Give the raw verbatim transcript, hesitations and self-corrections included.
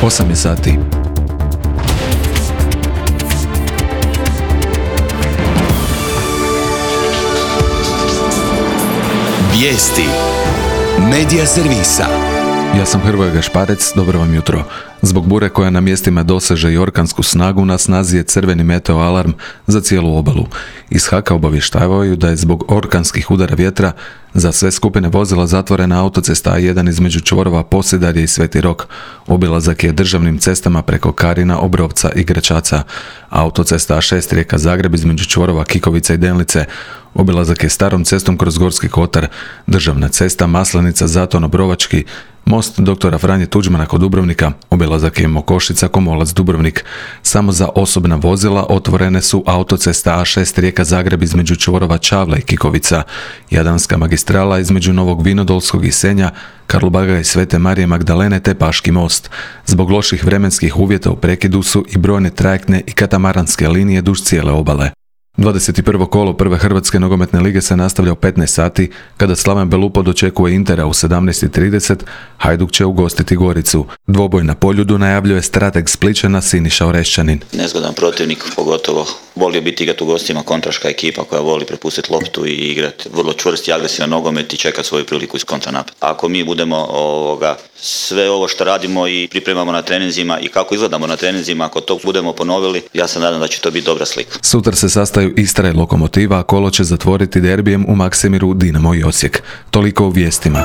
osam je sati. Vijesti Medija servisa. Ja sam Hrvoje Gašparec, dobro vam jutro. Zbog bure koja na mjestima doseže i orkansku snagu, na snazi je crveni meteo alarm za cijelu obalu. Iz Haka obavještavaju da je zbog orkanskih udara vjetra za sve skupine vozila zatvorena autocesta A jedan između čvorova Posedarje i Sveti Rok. Obilazak je državnim cestama preko Karina, Obrovca i Gračaca. Autocesta A šest Rijeka Zagreb između čvorova Kikovica i Denlice. Obilazak je starom cestom kroz Gorski kotar. Državna cesta Maslenica, Zaton, Obrovački. Most doktora Franje Tuđmana kod Dubrovnika. Obilazak je Mokošica, Komolac, Dubrovnik. Samo za osobna vozila otvorene su autocesta A šest Rijeka Zagreb između čvorova Čavla i Kikovica. Jadranska magistrala između Novog Vinodolskog i Senja, Karlobaga i Svete Marije Magdalene te Paški most. Zbog loših vremenskih uvjeta u prekidu su i brojne trajektne i katamaranske linije duž cijele obale. dvadeset prvo kolo prve Hrvatske nogometne lige se nastavlja u petnaest sati, kada Slaven Belupo dočekuje Intera u sedamnaest i trideset, Hajduk će ugostiti Goricu. Dvoboj na Poljudu najavljuje strateg Splićana Siniša Orešćanin. Nezgodan protivnik, pogotovo volio biti igrati u gostima, kontraška ekipa koja voli prepustiti loptu i igrati vrlo čvrst i agresivan nogomet i čekati svoju priliku iz kontranapad. Ako mi budemo ovoga, sve ovo što radimo i pripremamo na treninzima i kako izgledamo na treninzima, ako to budemo ponovili, ja se nadam da će to biti dobra slika. Sutra se sastaju Istra i Lokomotiva, a kolo će zatvoriti derbijem u Maksimiru Dinamo i Osijek. Toliko u vijestima.